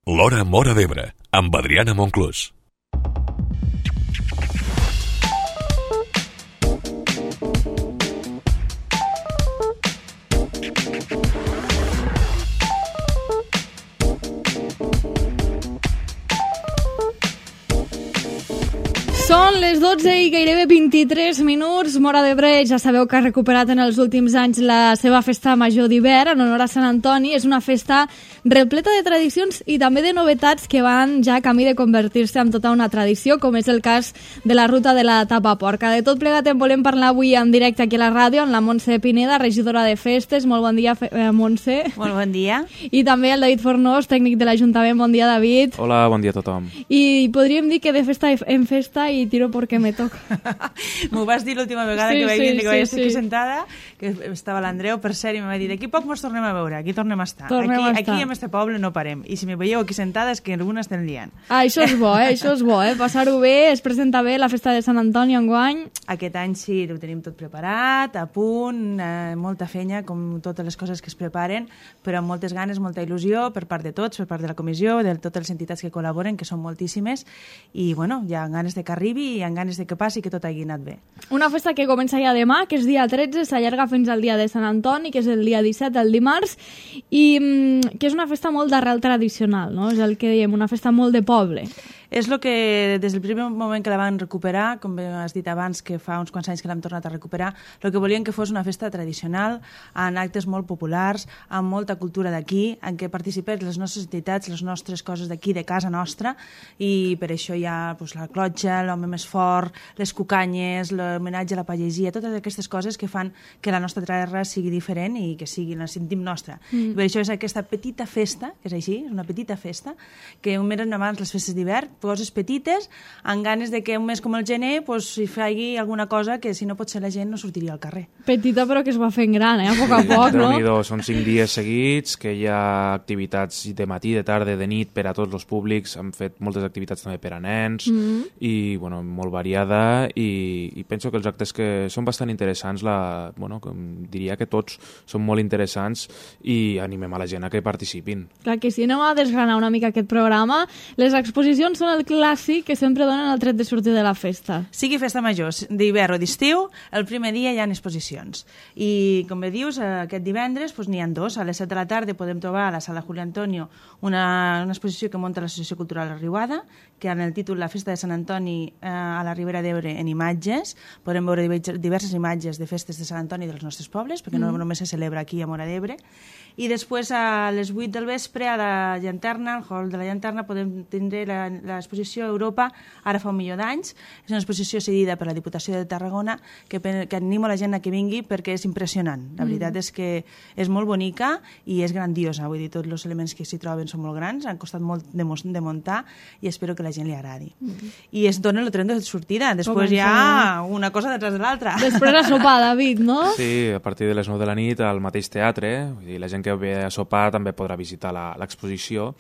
L'Hora Móra d'Ebre, amb Adriana Monclús. Són les 12 i gairebé 23 minuts. Móra d'Ebre ja sabeu que ha recuperat en els últims anys la seva festa major d'hivern en honor a Sant Antoni. És una festa repleta de tradicions i també de novetats que van ja camí de convertir-se en tota una tradició, com és el cas de la ruta de la tapa porca. De tot plegat en volem parlar avui en directe aquí a la ràdio amb la Montse Pineda, regidora de festes. Molt bon dia, Montse. Molt bon dia. I també el David Fornós, tècnic de l'Ajuntament. Bon dia, David. Hola, bon dia a tothom. I podríem dir que de festa en festa i tiro perquè me toca. M'ho vas dir l'última vegada que vaig dir que vaig estar aquí sentada, que estava l'Andreu, per cert, i em va dir d'aquí poc mos tornem a veure, aquí tornem a estar. Aquí en este poble no parem. I si me veieu aquí sentada és que alguna estem liant. Això és bo, això és bo, passar-ho bé, es presenta bé la festa de Sant Antoni enguany. Aquest any sí, ho tenim tot preparat, a punt, molta feina, com totes les coses que es preparen, però amb moltes ganes, molta il·lusió per part de tots, per part de la comissió, de totes les entitats que col·laboren, que són moltíssimes, i bueno, hi ha ganes de que arribi i amb ganes de que passi, que tot hagi anat bé. Una festa que comença ja demà, que és dia 13, s'allarga fins al dia de Sant Antoni, que és el dia 17, el dimarts, i que és una festa molt d'arrel tradicional, no? És el que diem, una festa molt de poble. És el que, des del primer moment que la van recuperar, com has dit abans, que fa uns quants anys que l'hem tornat a recuperar, el que volien que fos una festa tradicional, amb actes molt populars, amb molta cultura d'aquí, en què participés les nostres entitats, les nostres coses d'aquí, de casa nostra, i per això hi ha la clotxa, l'home més fort, les cucanyes, l'homenatge a la pagesia, totes aquestes coses que fan que la nostra terra sigui diferent i que la sentim nostra. I per això és aquesta petita festa, que és així, és una petita festa, que un mes abans les festes d'hivern, coses petites, amb ganes de que un mes com el gener s'hi faci alguna cosa que si no pot ser la gent no sortiria al carrer. Petita però que es va fent gran, a poc a poc, no? Són 5 dies seguits, que hi ha activitats de matí, de tarda, de nit per a tots els públics, han fet moltes activitats també per a nens, i bueno, molt variada, i penso que els actes que són bastant interessants, diria que tots són molt interessants i animem a la gent a que participin. Clar que sí, anem a desgranar una mica aquest programa. Les exposicions són el clàssic que sempre donen el tret de sortir de la festa. Sigui festa major, d'hivern o d'estiu, el primer dia hi ha exposicions. I, com bé dius, aquest divendres n'hi ha 2. A les 7 de la tarda podem trobar a la sala Julio Antonio una exposició que munta l'Associació Cultural La Riuada, que en el títol La Festa de Sant Antoni a la Ribera d'Ebre en imatges. Podem veure diverses imatges de festes de Sant Antoni dels nostres pobles, perquè no només se celebra aquí a Móra d'Ebre. I després a les 8 del vespre a la Llanterna, al hall de la Llanterna, podem tindre l'exposició Europa, ara fa 1 milió d'anys. És una exposició cedida per la Diputació de Tarragona que animo la gent a que vingui perquè és impressionant. La veritat és que és molt bonica i és grandiosa. Vull dir, tots els elements que s'hi troben són molt grans, han costat molt de muntar i espero que la gent li agradi. I es dona el tren de sortida. Després hi ha una cosa detrás de l'altra. Després a sopar, David, no? Sí, a partir de les 9 de la nit al mateix teatre. Vull dir, la gent que ve a sopar també podrà visitar l'exposició.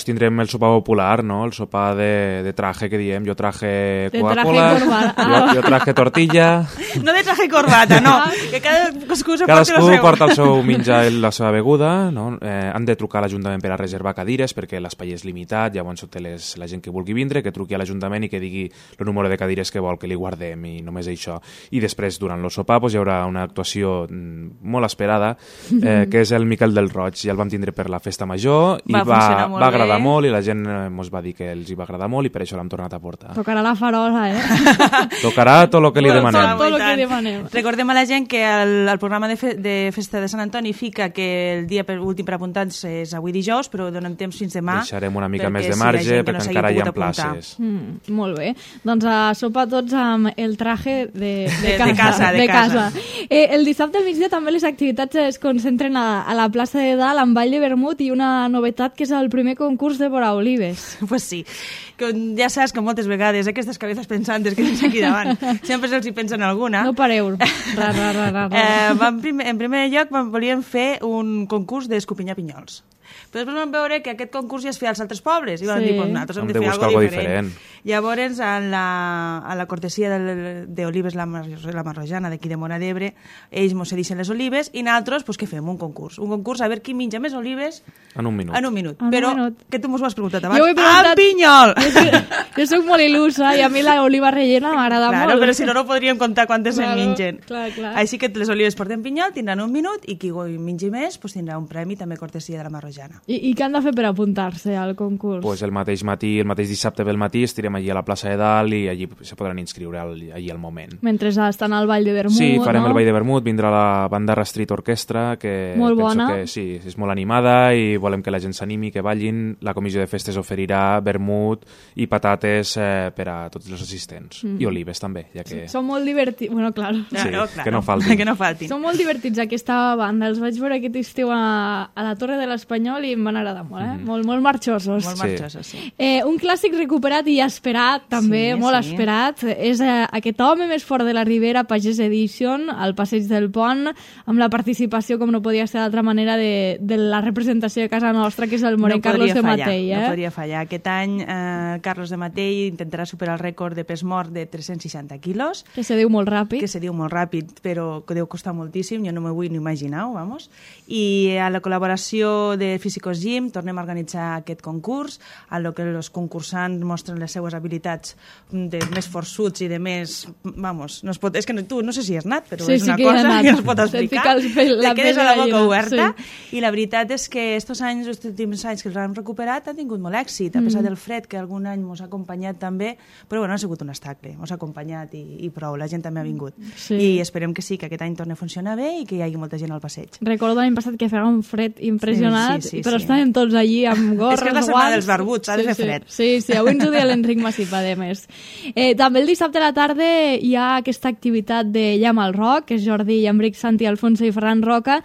Tindrem el sopar popular, no? El sopar de traje, que diem. Jo traje Coca-Cola, jo traje tortilla. No de traje i corbata, no. Que cadascú porta el seu menjar i la seva beguda, no? Han de trucar a l'Ajuntament per a reservar cadires perquè l'espai és limitat, llavors la gent que vulgui vindre, que truqui a l'Ajuntament i que digui el número de cadires que vol que li guardem i només això. I després, durant el sopar, hi haurà una actuació molt esperada, que és el Miquel del Roig. Ja el vam tindre per la festa major i va agradar molt i la gent ens va dir que els hi va agradar molt i per això l'hem tornat a portar. Tocarà la farola, Tocarà tot el que li demanem. Recordem a la gent que el programa de festa de Sant Antoni fica que el dia últim per apuntar-se és avui dijous, però donem temps fins demà. Deixarem una mica més de marge perquè encara hi ha places. Molt bé. Doncs a sopar tots amb el traje de casa. El dissabte al migdia també les activitats es concentren a la plaça de Dalt amb ball de vermut i una novetat que és el primer concurs de vora olives. Pues sí, ja saps que moltes vegades aquestes cabezas pensantes que tens aquí davant sempre se'ls hi pensa en alguna. No pareu. En primer lloc volíem fer un concurs d'escopinyar pinyols. Però després vam veure que aquest concurs ja es feia als altres pobles, i vam dir, pues nosaltres hem de fer buscar algo algo diferent. Llavors, a la cortesia d'Olives la Marrojana, d'aquí de Móra d'Ebre, ells mos cedixen les olives, i nosaltres, pues, què fem? Un concurs a veure qui menja més olives en un minut. Però, que tu mos ho has preguntat abans? Jo ho he preguntat... El pinyol! Jo soc molt il·lusa i a mi l'oliva rellena m'agrada molt. Claro, però si no podríem comptar quantes en mengen. Clar. Així que les olives porten pinyol, tindran un minut, i qui mengi més pues, tindrà un premi, també cortesia de la Marrojana. I què han de fer per apuntar-se al concurs? Pues el mateix matí, el mateix dissabte pel matí, estirem allí a la plaça de Dalt i allí se podran inscriure allí al moment. Mentre estan al Ball de Vermut, Sí, farem no? el Ball de Vermut, vindrà la Bandarra Street Orquestra, que molt penso bona. que sí, és molt animada i volem que la gent s'animi, que ballin. La comissió de festes oferirà vermut i patates per a tots els assistents. I olives també, ja que... Són molt divertits. Bueno, clar. Sí, Claro. que no faltin. Que no faltin. Són molt divertits aquesta banda. Els vaig veure aquest estiu a la Torre de l'Espanyol i em van agradar molt, molt marxosos. Molt marxosos, sí. Un clàssic recuperat i esperat, també, molt esperat, és aquest home més fort de la Ribera, Pagès Edition, al Passeig del Pont, amb la participació, com no podia ser d'altra manera, de la representació de casa nostra, que és el morè Carlos de Matell. No podria fallar. Aquest any Carlos de Matell intentarà superar el rècord de pes mort de 360 quilos. Que se diu molt ràpid. Que se diu molt ràpid, però que deu costar moltíssim, jo no m'ho vull ni imaginar, vamos. I a la col·laboració de Físicos Gym tornem a organitzar aquest concurs, a lo que els concursants mostren les seues habilitats de més forçuts i de més... Vamos, no es pot, és que tu no sé si has anat, però és una cosa que no es pot explicar. Te quedes a la boca oberta. I la veritat és que estos anys, els últims anys que els han recuperat, han tingut molt èxit, a pesar del fred, que algun any mos ha acompanyat també, però bueno, ha sigut un estacle, mos ha acompanyat i prou, la gent també ha vingut. Sí. I esperem que sí, que aquest any torni a funcionar bé i que hi hagi molta gent al passeig. Recordo l'any passat que feia un fred impressionant, però estàvem tots allí amb gorres, guants... És que és la setmana dels barbuts, ha de fer fred. Sí, avui ens ho deia l'Enric Massip, a més. També el dissabte a la tarda hi ha aquesta activitat de Llama al Roc, que és Jordi Llambric, Santi Alfonso i Ferran Roca,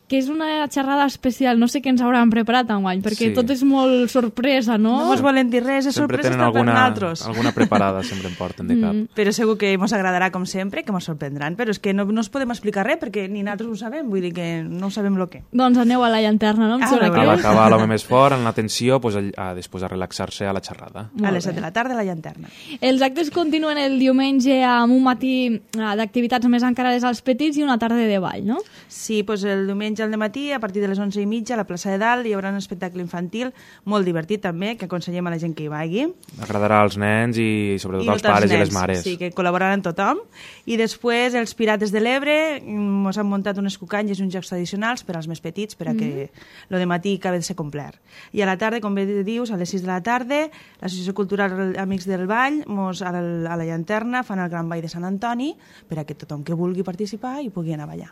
que és una xerrada especial, no sé què ens hauran preparat enguany, perquè tot és molt sorpresa, no? No mos volen dir res, és sempre sorpresa per nosaltres. Alguna preparada sempre em porten de cap. Però segur que mos agradarà com sempre, que mos sorprendran, però és que no us podem explicar res, perquè ni nosaltres ho sabem, vull dir que no sabem el que. Doncs aneu a la llanterna, no? A l'acabar l'home més fort, en l'atenció, després a relaxar-se a la xerrada. A les 7 de la tarda a la llanterna. Els actes continuen el diumenge amb un matí d'activitats més encarades als petits i una tarda de ball, no? Sí, doncs el diumenge al matí, a partir de les 11:30, a la plaça de Dalt, hi haurà un espectacle infantil molt divertit també, que aconsellem a la gent que hi vagi. Agradarà als nens i sobretot als pares i les mares. Sí, que col·laboraran tothom. I després els Pirates de l'Ebre ens han muntat unes cucanyes i uns jocs tradicionals per als més petits, per a que lo de matí acabi de ser complet. I a la tarda, com bé dius, a les 6 de la tarda, l'Associació Cultural Amics del Ball, a la llanterna, fan el Gran Ball de Sant Antoni, per a que tothom que vulgui participar hi pugui anar a ballar.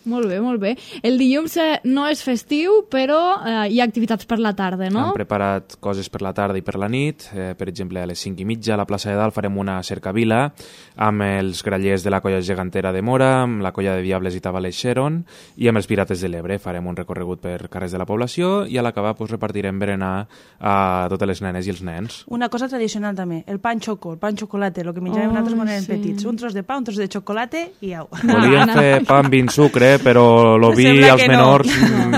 Molt bé, molt bé. El dilluns no és festiu, però hi ha activitats per la tarda, no? Hem preparat coses per la tarda i per la nit. Per exemple, a les 5:30 a la plaça de Dalt farem una cercavila amb els grallers de la colla gegantera de Móra, amb la colla de Diables i Tabalers Xeron i amb els Pirates de l'Ebre. Farem un recorregut per carrers de la població i a l'acabar repartirem berenar a totes les nenes i els nens. Una cosa tradicional també, el pan xocolate, el que menjàvem nosaltres quan érem petits. Un tros de pa, un tros de xocolate i au. Volíem fer pa amb vin sucre, però lo vi als menors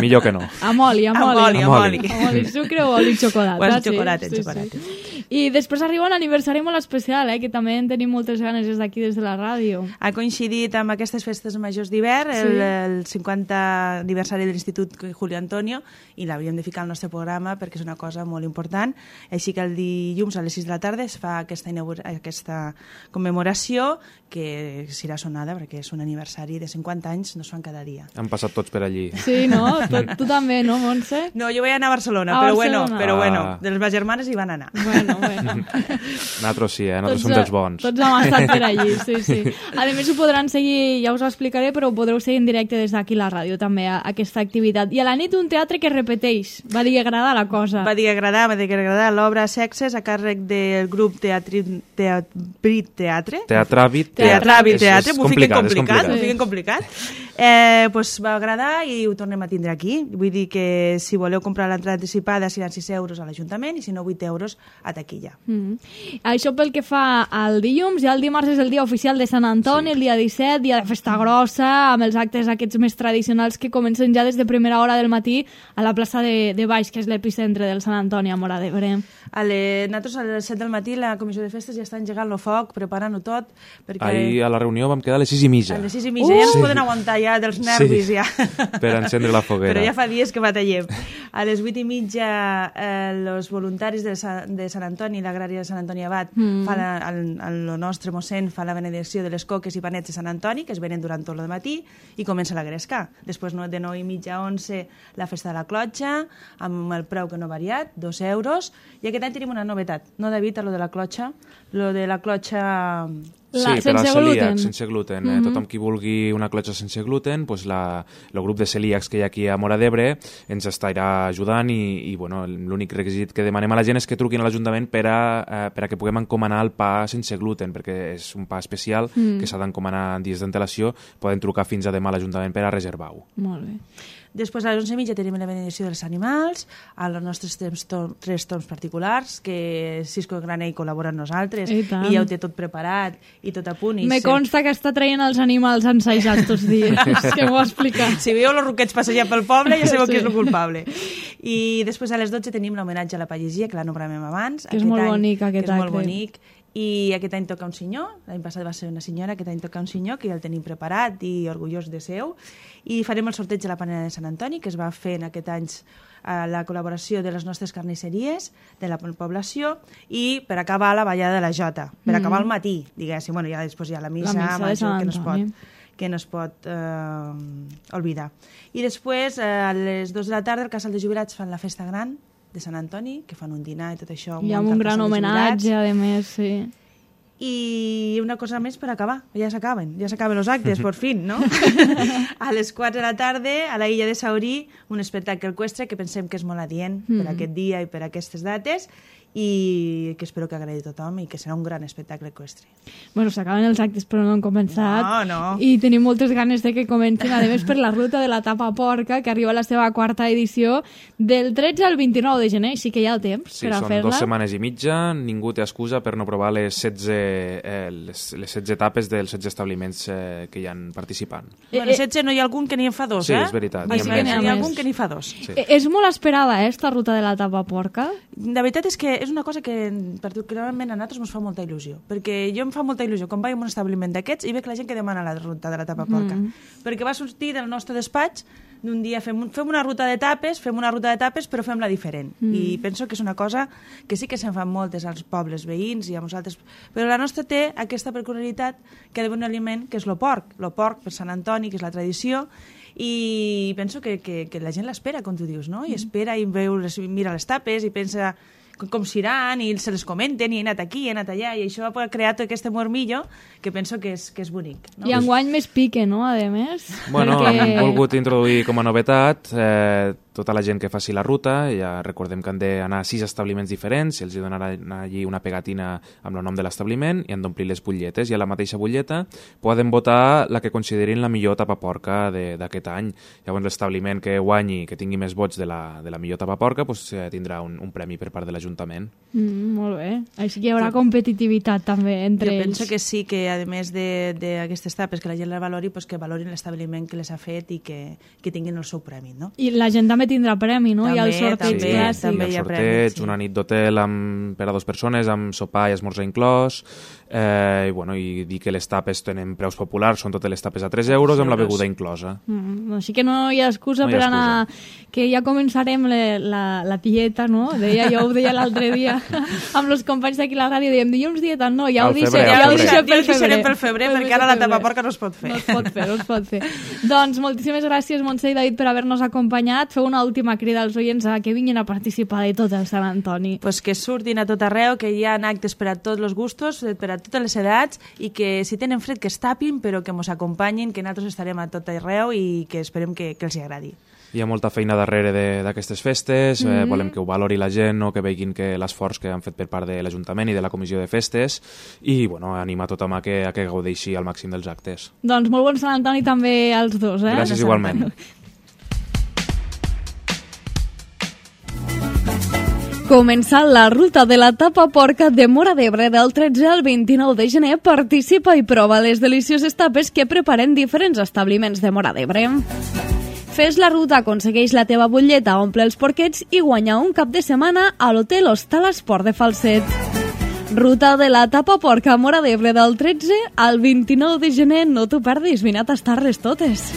millor que no. Amb oli. Oli, sucre o oli xocolata. O el xocolate, xocolate. I després arriba un aniversari molt especial, que també en tenim moltes ganes des d'aquí, des de la ràdio. Ha coincidit amb aquestes festes majors d'hivern, el 50 aniversari de l'Institut Julio Antonio, i l'hauríem de ficar al nostre programa perquè és una cosa molt important. Així que el dilluns a les 6 de la tarda es fa aquesta commemoració, que serà sonada perquè és un aniversari de 50 anys, no es fan cada dia. Han passat tots per allí. Sí, no? Tu també, no, Montse? No, jo vaig anar a Barcelona, però bueno, de les germanes hi van anar. Bueno. Nosaltres sí, nosaltres som dels bons. Tots hem estat per allí, sí. A més, ho podran seguir, ja us ho explicaré, però ho podreu seguir en directe des d'aquí a la ràdio, també, aquesta activitat. I a la nit un teatre que repeteix. Va dir que agrada la cosa. Va dir que agradar l'obra Sexes a càrrec del grup Teatravit Teatre. Teatre. M'ho fiquen complicat. Pues va agradar i ho tornem a tindre aquí. Vull dir que si voleu comprar l'entrada anticipada seran 6 euros a l'Ajuntament i si no 8 euros a taquilla. Això pel que fa al dilluns, ja el dimarts és el dia oficial de Sant Antoni, el dia 17, dia de festa grossa, amb els actes aquests més tradicionals que comencen ja des de primera hora del matí a la plaça de Baix, que és l'epicentre del Sant Antoni a Móra d'Ebre. Nosaltres a les 7 del matí la comissió de festes ja està engegant el foc, preparant-ho tot. Perquè... Ahir a la reunió vam quedar a les 6:30. A les 6:30, ja no es poden aguantar ja dels nervis. Ja. Per encendre la foguera. Però ja fa dies que batallem. A les 8:30 els voluntaris de Sant Antoni, l'agrària de Sant Antoni Abat, el nostre mossèn fa la benedicció de les coques i panets de Sant Antoni, que es venen durant tot el matí, i comença la gresca. Després de 9:30 a 11 la festa de la clotxa, amb el preu que no ha variat, 2 euros, i aquest any tenim una novetat, no David, a lo de la clotxa, Sí, per als celíacs, sense gluten. Tothom qui vulgui una clotxa sense gluten, pues el grup de celíacs que hi ha aquí a Móra d'Ebre ens estarà ajudant i bueno, l'únic requisit que demanem a la gent és que truquin a l'Ajuntament per a que puguem encomanar el pa sense gluten, perquè és un pa especial que s'ha d'encomanar dies d'antelació. Poden trucar fins a demà a l'Ajuntament per a reservar-ho. Molt bé. Després a les 11:30 tenim la benedicció dels animals, a les nostres 3 torns particulars, que Cisco Granell col·labora amb nosaltres i ja ho té tot preparat i tot a punt. Me consta que està traient els animals ensajats tots dies, que m'ho ha explicat. Si veieu els roquets passejant pel poble ja sabeu qui és el culpable. I després a les 12 tenim l'homenatge a la pagesia, que la nombrarem abans. Que és molt bonic aquest acte. És molt bonic. I aquest any toca un senyor, l'any passat va ser una senyora, aquest any toca un senyor, que ja el tenim preparat i orgullós de seu, i farem el sorteig de la panera de Sant Antoni, que es va fer en aquest any a la col·laboració de les nostres carnisseries, de la població, i per acabar la ballada de la Jota, per acabar el matí, diguéssim, bueno, ja després hi ha la missa major, que no es pot oblidar. I després, a les 2 de la tarda, al Casal de Jubilats fan la festa gran, de Sant Antoni, que fan un dinar i tot això. I amb un gran homenatge, a més, sí. I una cosa més per acabar, ja s'acaben els actes, per fin, no? A les 4 de la tarda, a la illa de Saurí, un espectacle eqüestre que pensem que és molt adient per aquest dia i per aquestes dates, i que espero que agradi a tothom i que serà un gran espectacle eqüestre. Bueno, s'acaben els actes però no han començat. No. I tenim moltes ganes de que comencin, a més per la ruta de la tapa porca, que arriba a la seva 4ª edició del 13 al 29 de gener, així que hi ha el temps per a fer-la. Sí, són 2 setmanes i mitja, ningú té excusa per no provar les 16 etapes dels 16 establiments que hi han participant. Bueno, 16 no hi ha algun que n'hi en fa 2, Sí, és veritat. N'hi ha algun que n'hi fa 2. Sí. És molt esperada, esta ruta de la tapa porca? La veritat és que és una cosa que particularment a nosaltres ens fa molta il·lusió, perquè jo em fa molta il·lusió quan vaig a un establiment d'aquests i veig la gent que demana la ruta de la tapa porca, perquè va sortir del nostre despatx d'un dia fem una ruta de tapes, però fem-la diferent. I penso que és una cosa que sí que se'n fan moltes als pobles veïns i a nosaltres, però la nostra té aquesta peculiaritat que ha d'haver un aliment que és el porc per Sant Antoni, que és la tradició, i penso que la gent l'espera, com tu dius, no? I espera i mira les tapes i pensa com seran i se les comenten i he anat aquí, he anat allà i això ha creat aquest mormillo que penso que és bonic, no? I enguany més pique, no? A més. Bueno, hem volgut introduir com a novetat tota la gent que faci la ruta, ja recordem que han d'anar a 6 establiments diferents, i els donaran allí una pegatina amb el nom de l'establiment i han d'omplir les butlletes, i a la mateixa butlleta poden votar la que considerin la millor tapaporca d'aquest any. Llavors l'establiment que guanyi, que tingui més vots de la millor tapaporca, doncs, tindrà un premi per part de l'Ajuntament. Molt bé. Així que hi haurà competitivitat també entre ells. Jo penso que sí, que a més d'aquestes tapes que la gent les valori, doncs que valorin l'establiment que les ha fet i que tinguin el seu premi, no? I la gent també tindrà premi, no? També, hi ha el sorteig clàssic. També hi ha sorteig, una nit d'hotel per a 2 persones, amb sopar i esmorzar inclòs, i dir que les tapes tenen preus populars, són totes les tapes a 3 euros amb la beguda inclosa. Així que no hi ha excusa per anar, que ja començarem la dieta, no? Jo ho deia l'altre dia amb els companys d'aquí a la ràdio, dèiem dilluns dieta, no, ja ho deixarem pel febrer, perquè ara la tapaporca no es pot fer. No es pot fer. Doncs moltíssimes gràcies, Montse i David, per haver-nos acompanyat. Feu una última crida als oients a que vinguin a participar de tot el Sant Antoni. Pues que surtin a tot arreu, que hi ha actes per a tots els gustos, per a totes les edats, i que si tenen fred que es tapin, però que ens acompanyin, que nosaltres estarem a tot arreu i que esperem que els agradi. Hi ha molta feina darrere d'aquestes festes, volem que ho valori la gent, no? Que vegin que l'esforç que han fet per part de l'Ajuntament i de la Comissió de Festes i anima tothom a que gaudeixi al màxim dels actes. Doncs molt bon Sant Antoni també als dos. Gràcies igualment. Comença la ruta de la tapa porca de Móra d'Ebre del 13 al 29 de gener. Participa i prova les delicioses tapes que preparen diferents establiments de Móra d'Ebre. Fes la ruta, aconsegueix la teva butlleta, omple els porquets i guanya un cap de setmana a l'Hotel Hostal Esport de Falset. Ruta de la tapa porca a Móra d'Ebre del 13 al 29 de gener. No t'ho perdis, vine a tastar-les totes.